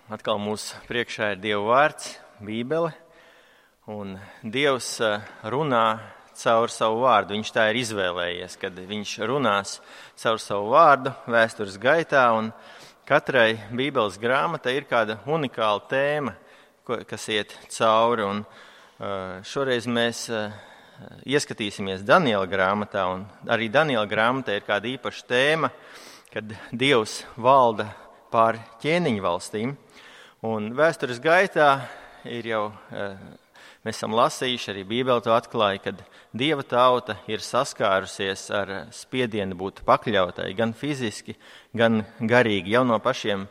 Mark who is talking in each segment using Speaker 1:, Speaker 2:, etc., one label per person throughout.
Speaker 1: Atkal mūsu priekšā ir Dieva vārds, Bībele, un Dievs runā caur savu vārdu. Viņš tā ir izvēlējies, kad viņš runās caur savu vārdu vēstures gaitā, un katrai Bībeles grāmatai ir kāda unikāla tēma, kas iet cauri. Un šoreiz mēs ieskatīsimies Daniela grāmatā, un arī Daniela grāmatā ir kāda īpaša tēma, kad Dievs valda pār ķēniņu valstīm. Un vēstures gaitā ir jau, mēs esam lasījuši, arī Bībele to atklāja, kad Dieva tauta ir saskārusies ar spiedienu būt pakļautai, gan fiziski, gan garīgi, jau no pašiem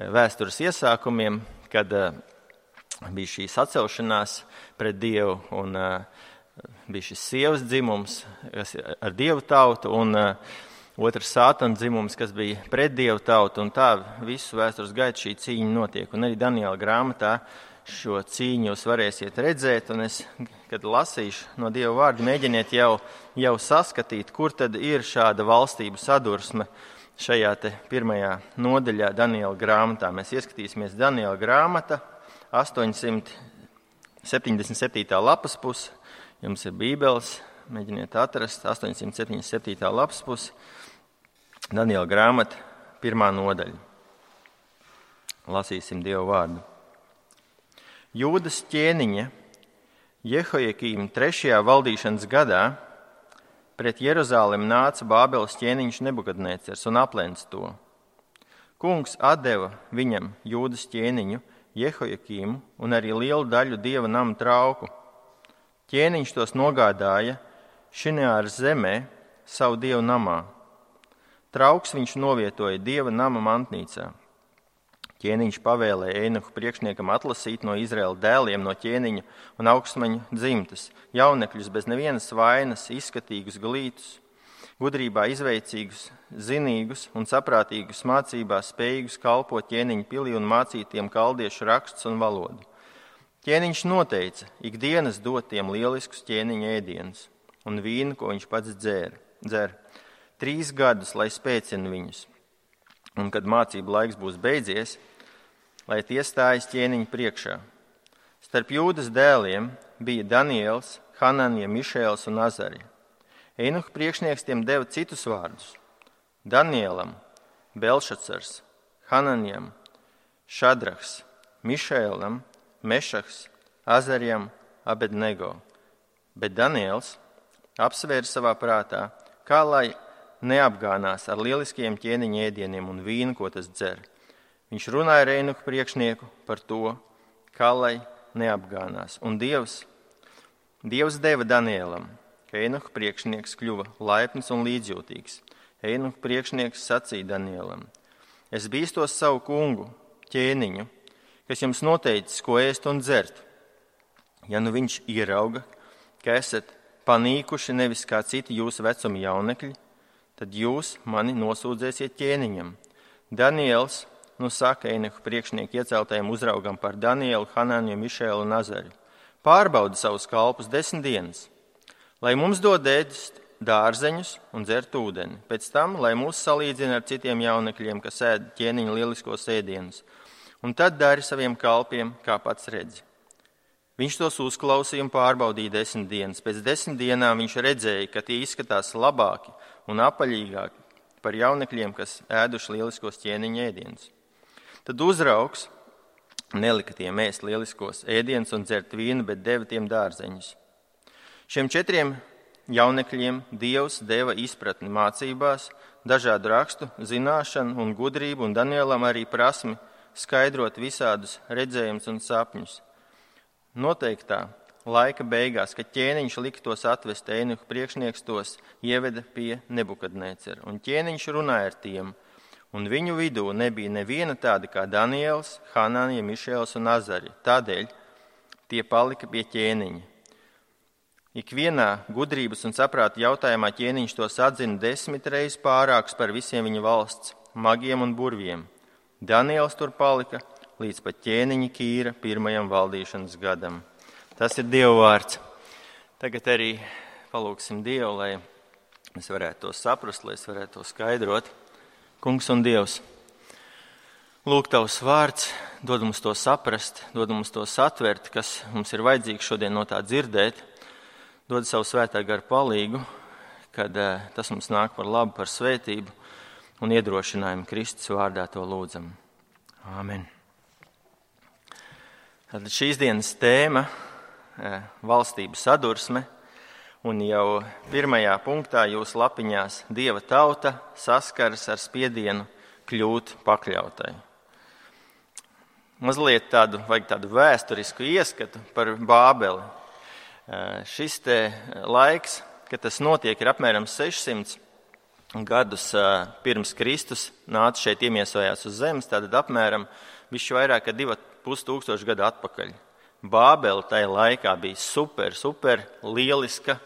Speaker 1: vēstures iesākumiem, kad bija šī sacelšanās pret Dievu un bija šis sievas dzimums, kas ar Dievu tautu, un otrs Sātana dzimums, kas bija pret Dievu tautu, un tā visu vēstures gaitu šī cīņa notiek. Un arī Daniela grāmatā šo cīņu jūs varēsiet redzēt, un es, kad lasīšu no Dieva vārda, mēģiniet jau saskatīt, kur tad ir šāda valstību sadursme šajā te pirmajā nodaļā Daniela grāmatā. Mēs ieskatīsimies Daniela grāmata, 877. lapas puse, jums ir Bībeles, mēģiniet atrast, 877. lapas puse, Daniela grāmata, 1. nodaļa. Lasīsim Dievu vārdu. Jūdas ķēniņa Jehojakīma 3. valdīšanas gadā pret Jeruzalemi nāca Bābeles ķēniņš Nebukadnēcers un aplēca to. Kungs atdeva viņam Jūdas ķēniņu Jehojakīmu un arī lielu daļu Dieva nama trauku. Ķēniņš tos nogādāja Šineāras zemē savu Dievu namā. Trauks viņš novietoja Dieva nama mantnīcā. Ķēniņš pavēlēja Einohu priekšniekam atlasīt no Izraēla dēliem no ķēniņa un augstmaņu dzimtas, jaunekļus bez nevienas vainas, izskatīgus glītus, gudrībā izveicīgus, zinīgus un saprātīgus mācībā spējīgus kalpot ķēniņa pilī un mācītiem kaldiešu rakstus un valodu. Ķēniņš noteica ikdienas dot tiem lieliskus ķēniņa ēdienus un vīnu, ko viņš pats dzer. 3 gadus, lai spēcina viņus, un kad mācību laiks būs beidzies, lai tie stājas ķēniņa priekšā. Starp Jūdas dēliem bija Daniels, Hananija, Mišēls un Azarija. Einuha priekšnieks tiem deva citus vārdus. Danielam Belšacars, Hananijam Šadrahs, Mišēlam Mešahs, Azarijam Abednego. Bet Daniels apsvēra savā prātā, kā lai neapgānās ar lieliskiem ķēniņa ēdieniem un vīnu, ko tas dzer. Viņš runāja ar Einuha priekšnieku par to, kā lai neapgānās. Un Dievs deva Danielam, ka Einuha priekšnieks kļuva laipns un līdzjūtīgs. Einuha priekšnieks sacīja Danielam: Es bīstos savu kungu, ķēniņu, kas jums noteicis, ko ēst un dzert. Ja nu viņš ierauga, ka esat panīkuši nevis kā citi jūsu vecuma jaunekļi, tad jūs mani nosūdzēsiet ķēniņam. Daniels saka Einuha priekšnieku ieceltajam uzraugam par Danielu, Hananiju, Mišēlu un Azariju: Pārbauda savus kalpus 10 dienas, lai mums dod ēst dārzeņus un dzert ūdeni. Pēc tam, lai mūs salīdzina ar citiem jaunekļiem, kas ēd ķēniņa lieliskos ēdienus. Un tad dari saviem kalpiem, kā pats redzi. Viņš tos uzklausīja un pārbaudīja 10 dienas. Pēc 10 dienām viņš redzēja, ka tie izskatās labāki un apaļīgāki par jaunekļiem, kas ēduši lieliskos ķēniņa ēdienus. Tad uzraugs nelika tiem ēst lieliskos ēdienus un dzert vīnu, bet deva tiem dārzeņus. Šiem 4 jaunekļiem Dievs deva izpratni mācībās, dažādu rakstu, zināšanu un gudrību, un Danielam arī prasmi skaidrot visādus redzējumus un sapņus. Noteiktā laika beigās, kad ķēniņš lika tos atvest, Einuha priekšnieks tos ieveda pie Nebukadnēcera, un ķēniņš runāja ar tiem, un viņu vidū nebija neviena tāda kā Daniels, Hananija, Mišēls un Azarija. Tādēļ tie palika pie ķēniņa. Ikvienā gudrības un saprāta jautājumā ķēniņš tos atzina 10 reizes pārāks par visiem viņa valsts magiem un burviem. Daniels tur palika līdz pat ķēniņa Kīra 1. valdīšanas gadam. Tas ir Dieva vārds. Tagad arī palūksim Dievu, lai mēs varētu to saprast, lai es varētu to skaidrot. Kungs un Dievs, Lūk, Tavs vārds dod mums to saprast, dod mums to satvert, kas mums ir vajadzīgs šodien no tā dzirdēt. Dod savu svētā gara palīgu, kad tas mums nāk par labu, par svētību un iedrošinājumu Kristus vārdā to lūdzam. Āmen. Tad šīs dienas tēma valstību sadursme, un jau pirmajā punktā jūsu lapiņās Dieva tauta saskaras ar spiedienu kļūt pakļautai. Mazliet vajag tādu vēsturisku ieskatu par Bābeli. Šis te laiks, kad tas notiek, ir apmēram 600 gadus pirms Kristus nāca šeit iemiesojās uz zemes, tātad apmēram bišķi vairāk kā 2500 gadu atpakaļ. Bābele tajā laikā bija super lieliska,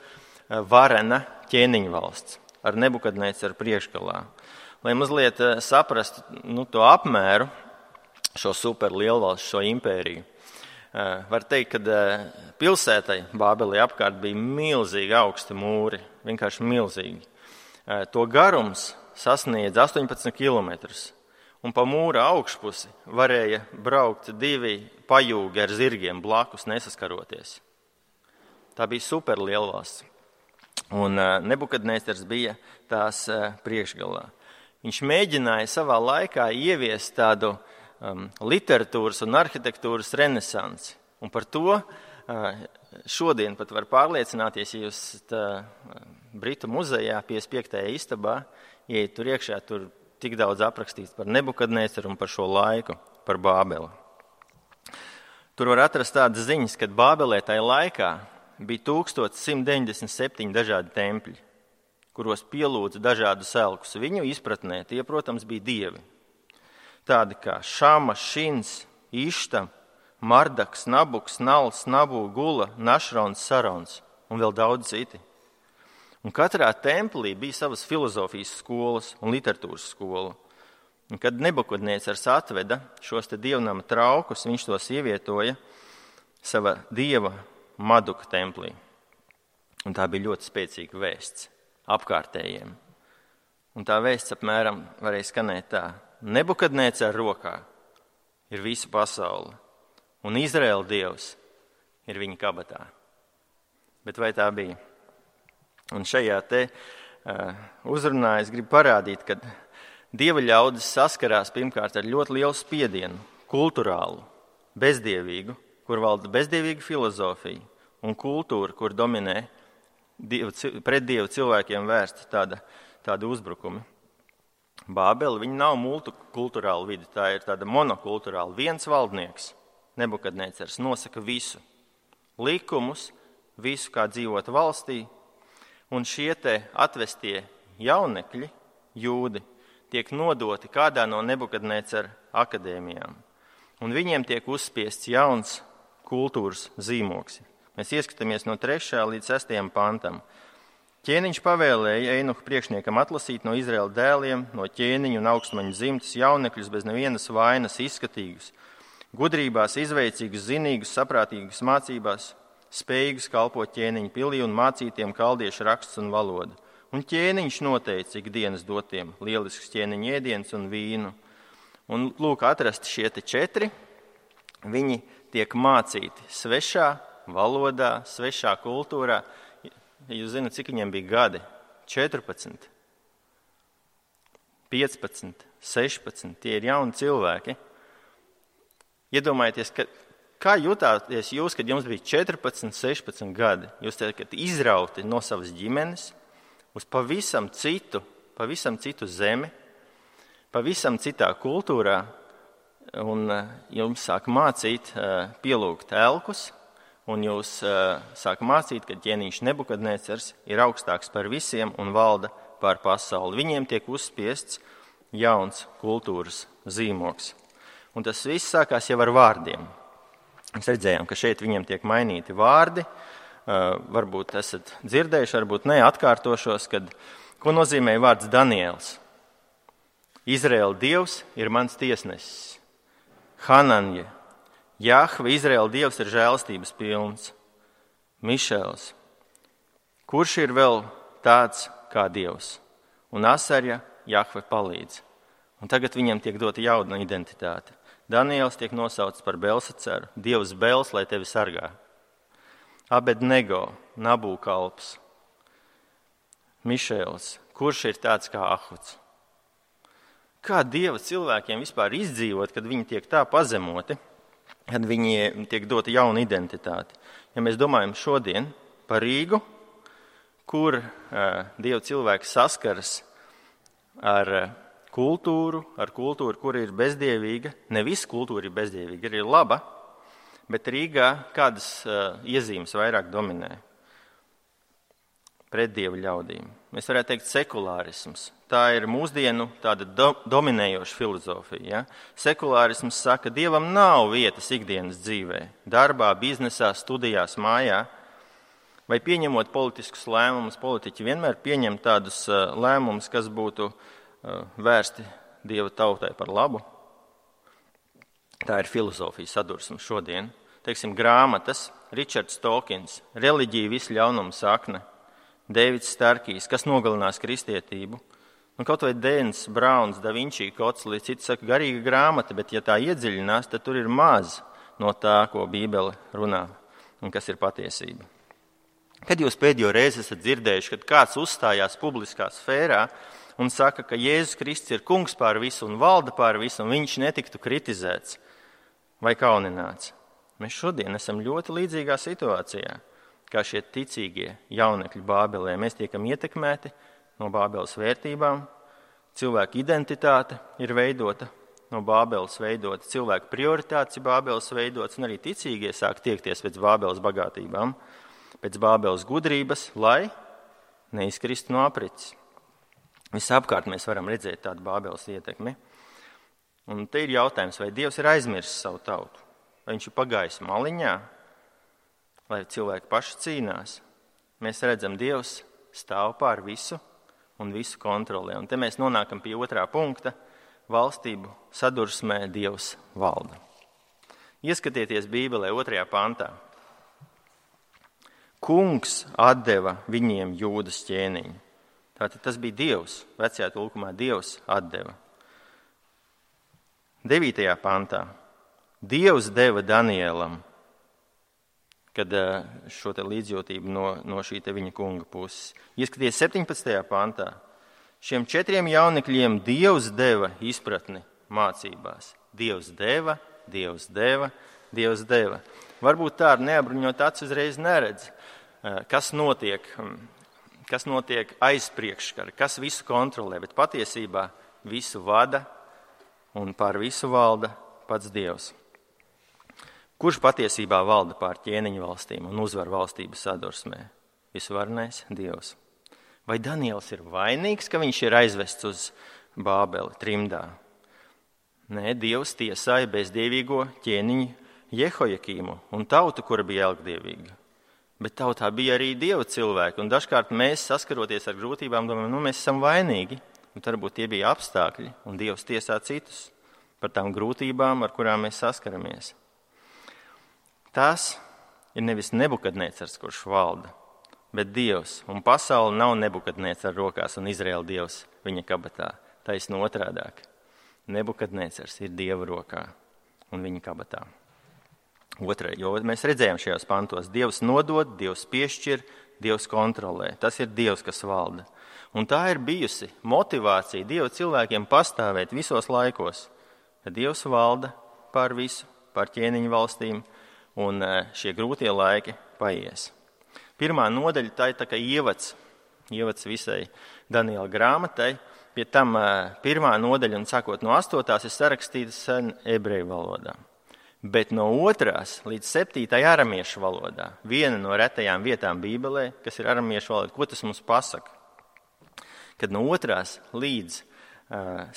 Speaker 1: varena ķēniņu valsts ar Nebukadnēcaru priekšgalā. Lai mazliet saprastu to apmēru, šo super lielvalstu, šo impēriju, var teikt, ka pilsētai Bābelē apkārt bija milzīgi augsti mūri, vienkārši milzīgi. To garums sasniedz 18 kilometrus. Un pa mūra augšpusi varēja braukt 2 pajūgi ar zirgiem blakus nesaskaroties. Tā bija super lielvalsts. Un Nebukadnēcars bija tās priekšgalā. Viņš mēģināja savā laikā ieviest tādu literatūras un arhitektūras renesansi. Un par to šodien pat var pārliecināties, ja jūs Britu muzejā 55. istabā ieiet tur iekšā, tur tik daudz aprakstīts par Nebukadnēcaru un par šo laiku, par Bābeli. Tur var atrast tādas ziņas, ka Bābelē tajā laikā bija 1197 dažādi tempļi, kuros pielūdza dažādus elkus. Viņu izpratnē tie, protams, bija dievi. Tādi kā Šama, Šins, Išta, Mardaks, Nabuks, Nals, Nabu, Gula, Našrons, Sarons un vēl daudz citi. Un katrā templī bija savas filozofijas skolas un literatūras skola. Un kad Nebukadnēcars atveda šos te dievnama traukus, viņš tos ievietoja sava dieva Maduka templī. Un tā bija ļoti spēcīga vēsts apkārtējiem. Un tā vēsts apmēram varēja skanēt tā: Nebukadnēcara rokā ir visa pasaule, un Izraēla dievs ir viņa kabatā. Bet vai tā bija? Un šajā te uzrunā es gribu parādīt, ka dieva ļaudis saskarās pirmkārt ar ļoti lielu spiedienu, kulturālu, bezdievīgu, kur valda bezdievīga filozofija un kultūra, kur dominē pret dievu cilvēkiem vērsta tāda uzbrukumi. Bābele, viņa nav multikulturāla vide, tā ir tāda monokulturāla. Viens valdnieks, Nebukadnēcars, nosaka visu, likumus, visu, kā dzīvot valstī. Un šie te atvestie jaunekļi, jūdi, tiek nodoti kādā no Nebukadnēcara akadēmijām. Un viņiem tiek uzspiests jauns kultūras zīmoks. Mēs ieskatāmies no 3. līdz 6. pantam. Ķēniņš pavēlēja Einuha priekšniekam atlasīt no Izraēla dēliem, no ķēniņu un augstmaņu dzimtas jaunekļus bez nevienas vainas izskatīgus, gudrībās izveicīgus, zinīgus, saprātīgus mācībās, spējīgus kalpot ķēniņu pilī un mācītiem kaldiešu raksts un valodu. Un ķēniņš noteica ikdienas dotiem lielisks ķēniņu ēdiens un vīnu. Un lūk, atrasti šie te 4, viņi tiek mācīti svešā valodā, svešā kultūrā. Jūs zināt, cik viņiem bija gadi? 14, 15, 16, tie ir jauni cilvēki. Iedomājieties, kā jutāties jūs, kad jums bija 14, 16 gadi? Jūs tiekat izrauti no savas ģimenes uz pavisam citu zemi, pavisam citā kultūrā, un jums sāk mācīt pielūgt elkus, un jūs sāk mācīt, ka ķēniņš Nebukadnēcars ir augstāks par visiem un valda pār pasauli. Viņiem tiek uzspiests jauns kultūras zīmoks. Un tas viss sākās jau ar vārdiem. Mēs redzējām, ka šeit viņiem tiek mainīti vārdi. Varbūt esat dzirdējuši, varbūt ne, atkārtošos, ko nozīmē vārds Daniels. Izraēla dievs ir mans tiesnesis. Hananje. Jahve, Izraēla dievs, ir žēlastības pilns. Mišēls. Kurš ir vēl tāds kā dievs? Un Asarja, Jahve palīdz. Un tagad viņam tiek dota jauna identitāte. Daniels tiek nosaukts par Belsacaru, Dievs Bels, lai tevi sargā. Abednego, Nabūkalps, Mišēls, kurš ir tāds kā Ahuds. Kā Dieva cilvēkiem vispār izdzīvot, kad viņi tiek tā pazemoti, kad viņi tiek dota jauna identitāte? Ja mēs domājam šodien par Rīgu, kur Dieva cilvēki saskaras ar kultūru, kur ir bezdievīga. Ne visa kultūra ir bezdievīga, ir laba, bet Rīgā kādas iezīmes vairāk dominē pret Dieva ļaudīm. Mēs varētu teikt sekulārisms. Tā ir mūsdienu tāda dominējoša filozofija. Ja? Sekulārisms saka, Dievam nav vietas ikdienas dzīvē, darbā, biznesā, studijās, mājā. Vai pieņemot politiskus lēmumus, politiķi vienmēr pieņem tādus lēmumus, kas būtu vērsti Dieva tautai par labu. Tā ir filozofija sadursme šodien. Teiksim, grāmatas, Ričards Tolkins, Reliģija visu ļaunumu sakne, Deivids Starkijs, kas nogalinās kristietību. Kaut vai Dēns Brauns, Da Vinčī kods, līdz citi saka, garīga grāmata, bet ja tā iedziļinās, tad tur ir maz no tā, ko Bībele runā un kas ir patiesība. Kad jūs pēdējo reizi esat dzirdējuši, kad kāds uzstājās publiskā sfērā un saka, ka Jēzus Kristus ir kungs pār visu un valda pār visu, un viņš netiktu kritizēts vai kaunināts? Mēs šodien esam ļoti līdzīgā situācijā, kā šie ticīgie jaunekļi Bābelē. Mēs tiekam ietekmēti no Bābeles vērtībām, cilvēku identitāte ir veidota no Bābeles veidota, cilvēku prioritātes ir Bābeles veidotas, un arī ticīgie sāk tiekties pēc Bābeles bagātībām, pēc Bābeles gudrības, lai neizkristu no aprits. Visapkārt mēs varam redzēt tādu Bābeles ietekmi. Un te ir jautājums, vai Dievs ir aizmirsis savu tautu, vai viņš ir pagājis maliņā, lai cilvēki paši cīnās. Mēs redzam, Dievs stāv pār visu un visu kontrolē. Un te mēs nonākam pie otrā punkta - valstību sadursmē Dievs valda. Ieskatieties Bībelē 2. pantā. Kungs atdeva viņiem Jūdas ķēniņu. Tātad tas bija Dievs, vecajā tulkumā Dievs atdeva. 9. pantā. Dievs deva Danielam, kad šo te līdzjūtību no šī te viņa kunga puses. Ieskaties 17. pantā. Šiem 4 jaunekļiem Dievs deva izpratni mācībās. Dievs deva, Dievs deva, Dievs deva. Varbūt tā ar neapbruņot acis uzreiz neredz, kas notiek aiz priekškara, kas visu kontrolē, bet patiesībā visu vada un pār visu valda pats Dievs. Kurš patiesībā valda pār ķēniņu valstīm un uzvar valstības sadursmē? Visvarnais Dievs. Vai Daniels ir vainīgs, ka viņš ir aizvests uz Bābeli trimdā? Nē, Dievs tiesāja bezdievīgo ķēniņu Jehojakīmu un tautu, kura bija elgdievīga. Bet tautā bija arī Dieva cilvēki, un dažkārt mēs, saskaroties ar grūtībām, domājam, mēs esam vainīgi, un varbūt tie bija apstākļi, un Dievs tiesā citus par tām grūtībām, ar kurām mēs saskaramies. Tas ir nevis Nebukadnecars, kurš valda, bet Dievs, un pasaule nav Nebukadnecara rokās un Izraēla Dievs viņa kabatā. Taisn otrādāk. Nebukadnecars ir Dieva rokā un viņa kabatā. Jo mēs redzējām šajos pantos, Dievs nodod, Dievs piešķir, Dievs kontrolē. Tas ir Dievs, kas valda. Un tā ir bijusi motivācija Dieva cilvēkiem pastāvēt visos laikos, kad Dievs valda pār visu, pār ķēniņu valstīm, un šie grūtie laiki paies. 1. nodaļa tā ir tā kā ievads visai Daniela grāmatai. Pie tam 1. nodaļa, un sākot no 8. ir sarakstīta sen ebreju valodā. Bet no 2. līdz 7. aramiešu valodā, viena no retajām vietām Bībelē, kas ir aramiešu valoda, ko tas mums pasaka? Kad no 2. līdz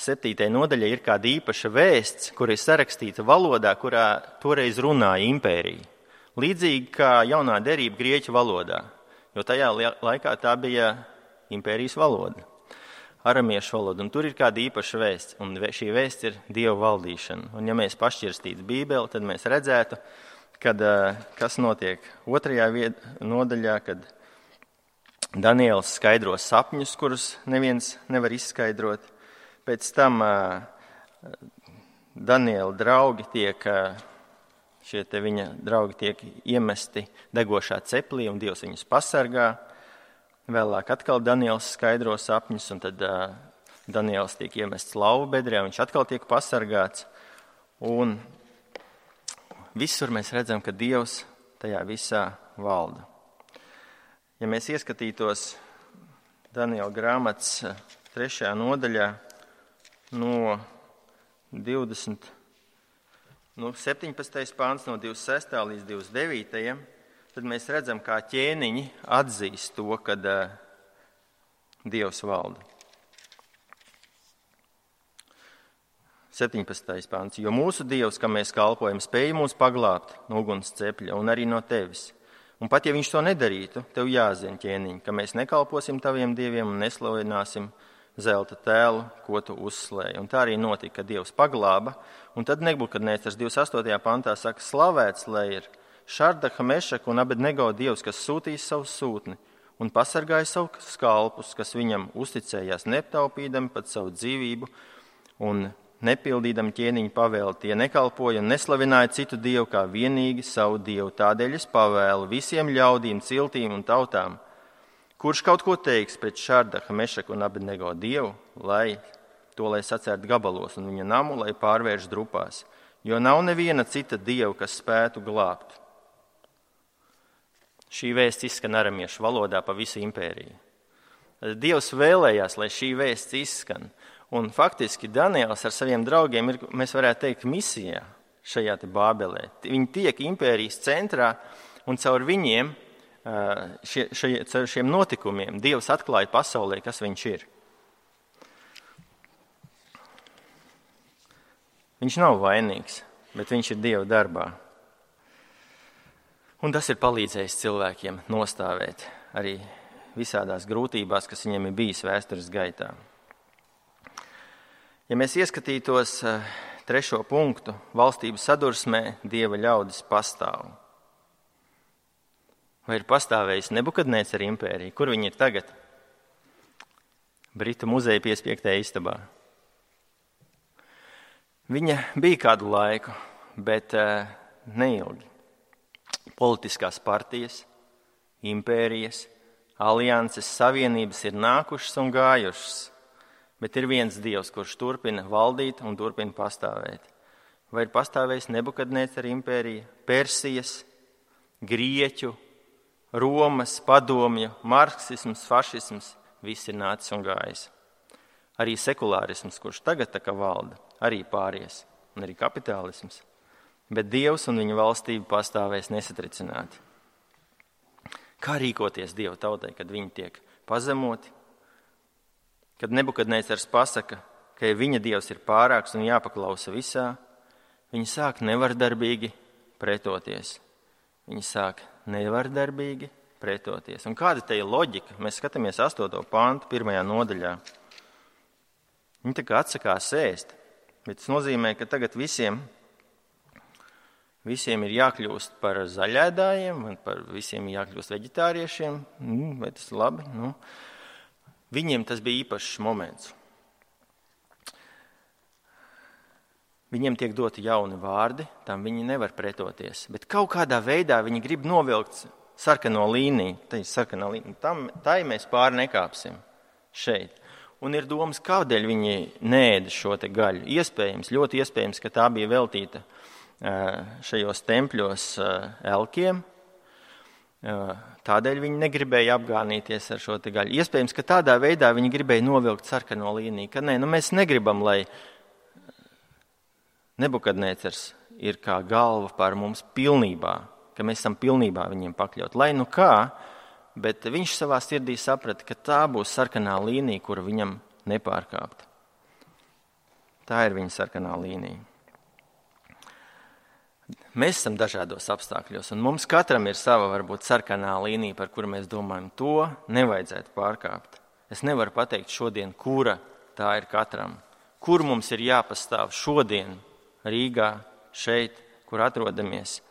Speaker 1: 7. nodaļai ir kāda īpaša vēsts, kur ir sarakstīta valodā, kurā toreiz runāja impērija. Līdzīgi kā jaunā derība grieķu valodā, jo tajā laikā tā bija impērijas valoda, aramiešu valoda, un tur ir kāda īpaša vēsts, un šī vēsts ir Dieva valdīšana. Un ja mēs pašķirstītu Bībeli, tad mēs redzētu, kas notiek 2. nodaļā, kad Daniels skaidro sapņus, kurus neviens nevar izskaidrot. Pēc tam Daniela draugi viņa draugi tiek iemesti degošā ceplī, un Dievs viņus pasargā. Vēlāk atkal Daniels skaidro sapņus, un tad Daniels tiek iemests lauva bedrē, viņš atkal tiek pasargāts. Un visur mēs redzam, ka Dievs tajā visā valda. Ja mēs ieskatītos Daniela grāmatas 3. nodaļā no 17. pāns, no 26. līdz 29. tad mēs redzam, kā ķēniņi atzīst to, ka Dievs valda. 17. pāns. Jo mūsu Dievs, kam mēs kalpojam, spēja mūs paglābt no uguns cepļa un arī no tevis. Un pat ja viņš to nedarītu, tev jāzina, ķēniņ, ka mēs nekalposim taviem dieviem un neslavināsim zelta tēlu, ko tu uzslēji. Un tā arī notika, ka Dievs paglāba. Un tad Nebukadnēcars 28. pantā saka, slavēts, lai ir Šardaha, Mešaka un Abednego Dievs, kas sūtīs savu sūtni un pasargāja savus kalpus, kas viņam uzticējās neptaupīdami pat savu dzīvību un nepildīdami ķēniņu pavēli. Tie nekalpoja un neslavināja citu dievu kā vienīgi savu dievu. Tādēļ es pavēlu visiem ļaudīm, ciltīm un tautām, kurš kaut ko teiks pret Šardaha, Mešaku un Abednego dievu, lai sacērt gabalos un viņa namu, lai pārvērš drupās, jo nav neviena cita dieva, kas spētu glābt. Šī vēsts izskan aramiešu valodā pa visu impēriju. Dievs vēlējās, lai šī vēsts izskan. Un faktiski Daniels ar saviem draugiem ir, mēs varētu teikt, misijā šajā te Bābelē. Viņi tiek impērijas centrā un caur viņiem, caur šiem notikumiem, Dievs atklāja pasaulē, kas viņš ir. Viņš nav vainīgs, bet viņš ir Dieva darbā. Un tas ir palīdzējis cilvēkiem nostāvēt arī visādās grūtībās, kas viņiem ir bijis vēstures gaitā. Ja mēs ieskatītos 3. punktu, valstības sadursmē Dieva ļaudis pastāv. Vai ir pastāvējis Nebukadnēcara impērija? Kur viņi ir tagad? Britu muzeja piespiegtajā istabā. Viņa bija kādu laiku, bet neilgi. Politiskās partijas, impērijas, alianses, savienības ir nākušas un gājušas, bet ir viens Dievs, kurš turpina valdīt un turpina pastāvēt. Vai ir pastāvējis Nebukadnēcara impērija, Persijas, Grieķu, Romas, padomju, marksisms, fašisms, viss ir nācis un gājis. Arī sekulārisms, kurš tagad tā kā valda, arī pāries, un arī kapitālisms. Bet Dievs un viņa valstība pastāvēs nesatricināti. Kā rīkoties Dieva tautai, kad viņi tiek pazemoti? Kad Nebukadnēcars pasaka, ka viņa Dievs ir pārāks un jāpaklausa visā, viņi sāk nevardarbīgi pretoties. Viņi sāk nevardarbīgi pretoties. Un kāda te ir loģika? Mēs skatāmies 8. pantu 1. nodaļā. Viņi tā kā atsakās ēst, bet tas nozīmē, ka tagad visiem ir jākļūst par zaļēdājiem, un par visiem jākļūst veģetāriešiem. Vai tas ir labi? Viņiem tas bija īpašs moments. Viņiem tiek doti jauni vārdi, tam viņi nevar pretoties. Bet kaut kādā veidā viņi grib novilkt sarkano līniju. Tā ir sarkanā līnija. Tai mēs pāri nekāpsim šeit. Un ir domas, kādēļ viņi neēda šo te gaļu. Iespējams, ļoti iespējams, ka tā bija veltīta šajos tempļos elkiem. Tādēļ viņi negribēja apgānīties ar šo te gaļu. Iespējams, ka tādā veidā viņi gribēja novilkt sarkano līniju. Ka mēs negribam, lai Nebukadnēcars ir kā galva pār mums pilnībā, ka mēs esam pilnībā viņiem pakļaut. Lai nu kā, bet viņš savā sirdī saprata, ka tā būs sarkanā līnija, kuru viņam nepārkāpt. Tā ir viņa sarkanā līnija. Mēs esam dažādos apstākļos, un mums katram ir sava varbūt sarkanā līnija, par kuru mēs domājam, to nevajadzētu pārkāpt. Es nevaru pateikt šodien, kura tā ir katram. Kur mums ir jāpastāv šodien Rīgā, šeit, kur atrodamies.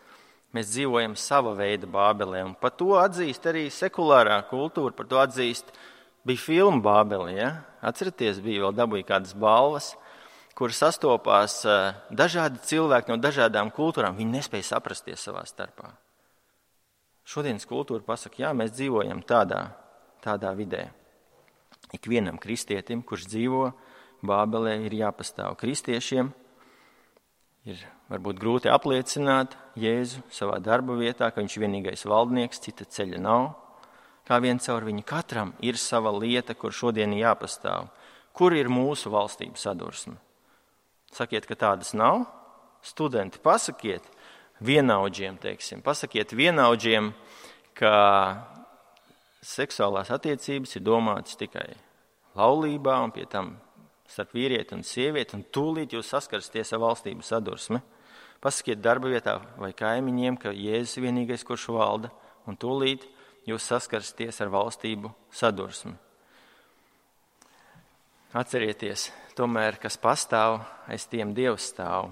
Speaker 1: Mēs dzīvojam sava veida Bābelē, un par to atzīst arī sekulārā kultūra, par to atzīst Bija filma Bābeli, ja? Atceraties, bija vēl dabūja kādas balvas, kur sastopās dažādi cilvēki no dažādām kultūrām. Viņi nespēja saprasties savā starpā. Šodienas kultūra pasaka, jā, mēs dzīvojam tādā vidē. Ikvienam kristietim, kurš dzīvo Bābelē, ir jāpastāv. Kristiešiem ir varbūt grūti apliecināt Jēzu savā darba vietā, ka viņš ir vienīgais valdnieks, cita ceļa nav. Kā vien caur viņu katram ir sava lieta, kur šodien jāpastāv. Kur ir mūsu valstību sadursme? Sakiet, ka tādas nav. Studenti, pasakiet vienaudžiem, ka seksuālās attiecības ir domātas tikai laulībā un pie tam starp vīrieti un sievieti, un tūlīt jūs saskarsties ar valstību sadursmi. Pasakiet darba vietā vai kaimiņiem, ka Jēzus ir vienīgais, kurš valda, un tūlīt jūs saskarsties ar valstību sadursmi. Atcerieties, tomēr, kas pastāv, aiz tiem Dievs stāv.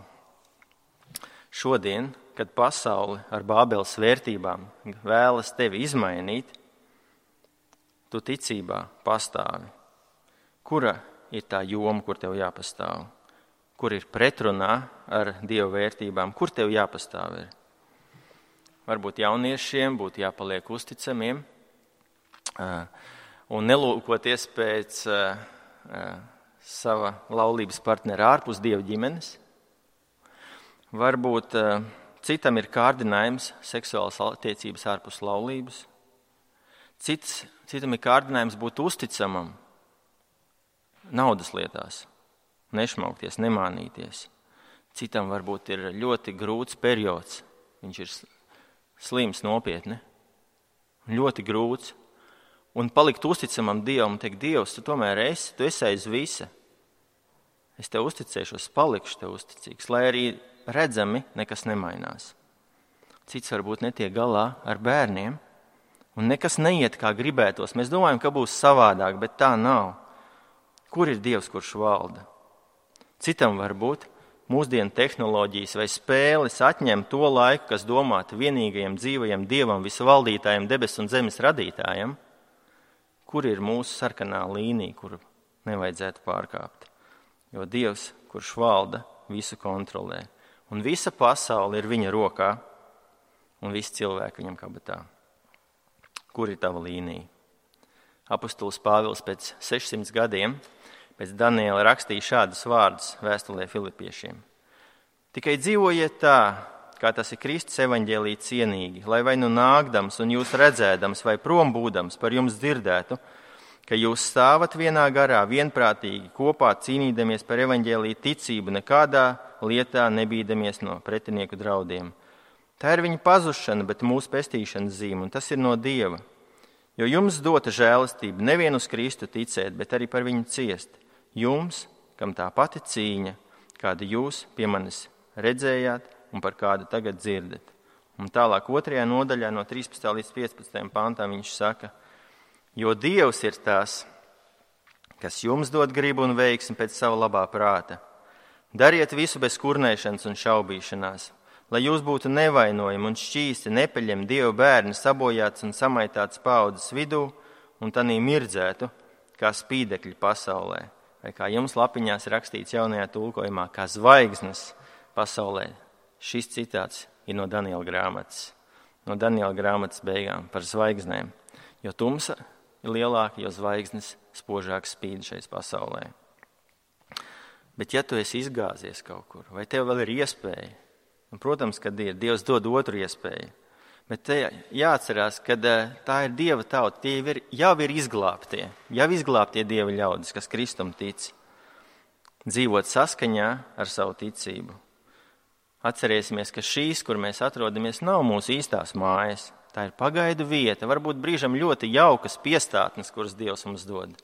Speaker 1: Šodien, kad pasauli ar Bābeles vērtībām vēlas tevi izmainīt, tu ticībā pastāvi. Kura ir tā joma, kur tev jāpastāv? Kur ir pretrunā ar Dieva vērtībām? Kur tev jāpastāv ir? Varbūt jauniešiem būtu jāpaliek uzticamiem un nelūkoties pēc sava laulības partnera ārpus Dieva ģimenes. Varbūt citam ir kārdinājums seksuālas attiecības ārpus laulības. Citam ir kārdinājums būt uzticamam naudas lietās, nešmaukties, nemānīties. Citam varbūt ir ļoti grūts periods, viņš ir slims nopietni, ļoti grūts, un palikt uzticamam Dievam un teikt, Dievs, tu tomēr tu esi aiz visa. Es tev uzticēšos, palikšu tev uzticīgs, lai arī redzami nekas nemainās. Cits varbūt netiek galā ar bērniem, un nekas neiet kā gribētos. Mēs domājam, ka būs savādāk, bet tā nav. Kur ir Dievs, kurš valda? Citam varbūt mūsdienu tehnoloģijas vai spēles atņem to laiku, kas domāta vienīgajam dzīvajam Dievam, visvaldītājam, debesu un zemes radītājam. Kur ir mūsu sarkanā līnija, kuru nevajadzētu pārkāpt? Jo Dievs, kurš valda, visu kontrolē. Un visa pasaule ir viņa rokā, un visi cilvēki viņam kabatā. Kur ir tava līnija? Apostols Pāvils pēc 600 gadiem pēc Daniela rakstīja šādus vārdus vēstulē Filipiešiem. Tikai dzīvojiet tā, kā tas ir Kristus evaņģēlī cienīgi, lai vai nu nākdams un jūs redzēdams vai prom būdams par jums dzirdētu, ka jūs stāvat vienā garā, vienprātīgi, kopā cīnīdamies par evaņģēlī ticību, nekādā lietā nebīdamies no pretinieku draudiem. Tā ir viņa pazušana, bet mūsu pestīšanas zīme, un tas ir no Dieva. Jo jums dota žēlastība nevien uz Kristu ticēt, bet arī par viņu ciest. Jums, kam tā pati cīņa, kādu jūs pie manis redzējāt un par kādu tagad dzirdat. Un tālāk 2. nodaļā no 13. līdz 15. pantām viņš saka, jo Dievs ir tas, kas jums dod gribu un veiksmi pēc sava labā prāta. Dariet visu bez kurnēšanas un šaubīšanās, lai jūs būtu nevainojami un šķīsti, nepeļami Dieva bērni sabojāts un samaitāts paaudzes vidū un tanī mirdzētu, kā spīdekļi pasaulē. Vai kā jums lapiņās rakstīts jaunajā tulkojumā, kā zvaigznes pasaulē. Šis citāts ir no Daniela grāmatas. No Daniela grāmatas beigām par zvaigznēm. Jo tumsa ir lielāka, jo zvaigznes spožāk spīd šeit pasaulē. Bet ja tu esi izgāzies kaut kur, vai tev vēl ir iespēja, un, protams, kad Dievs dod otru iespēju, bet te jāatcerās, ka tā ir Dieva tauta, tie jau ir izglābtie Dieva ļaudis, kas Kristum tic, dzīvot saskaņā ar savu ticību. Atcerēsimies, ka šīs, kur mēs atrodamies, nav mūsu īstās mājas. Tā ir pagaidu vieta, varbūt brīžam ļoti jaukas piestātnes, kuras Dievs mums dod,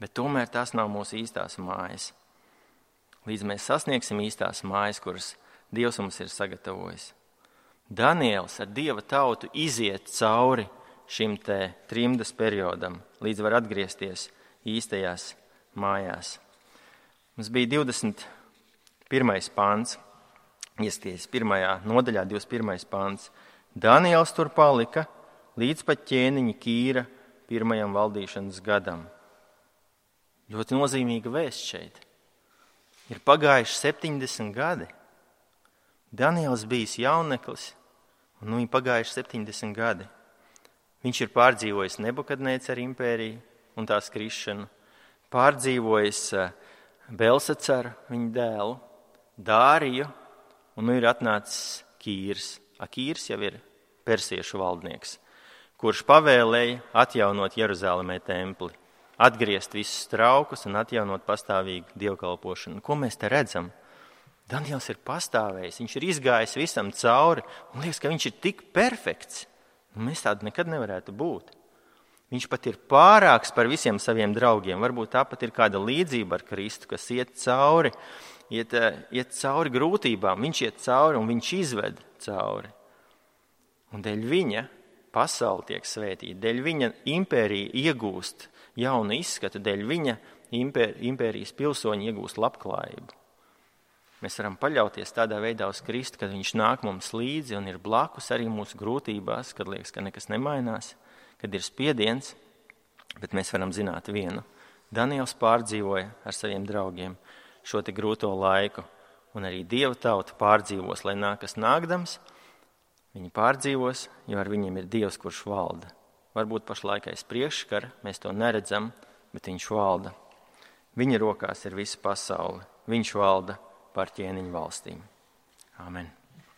Speaker 1: bet tomēr tās nav mūsu īstās mājas. Līdz mēs sasniegsim īstās mājas, kuras Dievs mums ir sagatavojis. Daniels ar Dieva tautu iziet cauri šim te trimdas periodam, līdz var atgriezties īstajās mājās. Mums bija 21. pāns, iesties 1. nodaļā 21. pāns. Daniels tur palika līdz pat ķēniņa Kīra 1. valdīšanas gadam. Ļoti nozīmīga vēsts šeit. Ir pagājuši 70 gadi. Daniels bijis jauneklis, un ir pagājuši 70 gadi. Viņš ir pārdzīvojis Nebukadnēcara impēriju un tās krišanu, pārdzīvojis Belsacaru, viņa dēlu, Dāriju, un ir atnācis Kīrs. Kīrs jau ir persiešu valdnieks, kurš pavēlēja atjaunot Jeruzalemē templi, atgriezt visus traukus un atjaunot pastāvīgu dievkalpošanu. Ko mēs te redzam? Daniels ir pastāvējis, viņš ir izgājis visam cauri, un liekas, ka viņš ir tik perfekts. Mēs tādu nekad nevarētu būt. Viņš pat ir pārāks par visiem saviem draugiem. Varbūt tāpat ir kāda līdzība ar Kristu, kas iet cauri grūtībām. Viņš iet cauri un viņš izved cauri. Un dēļ viņa pasaule tiek svētīta, dēļ viņa impērija iegūst jaunu izskatu, dēļ viņa impērijas pilsoņi iegūst labklājību. Mēs varam paļauties tādā veidā uz Kristu, kad viņš nāk mums līdzi un ir blakus arī mūsu grūtībās, kad liekas, ka nekas nemainās, kad ir spiediens, bet mēs varam zināt vienu. Daniels pārdzīvoja ar saviem draugiem šo te grūto laiku, un arī Dieva tauta pārdzīvos, lai nākas nākdams, viņi pārdzīvos, jo ar viņiem ir Dievs, kurš valda. Varbūt pašlaik aiz priekškara, mēs to neredzam, bet viņš valda. Viņa rokās ir visa pasaule, viņš valda par ķēniņu valstīm. Āmen.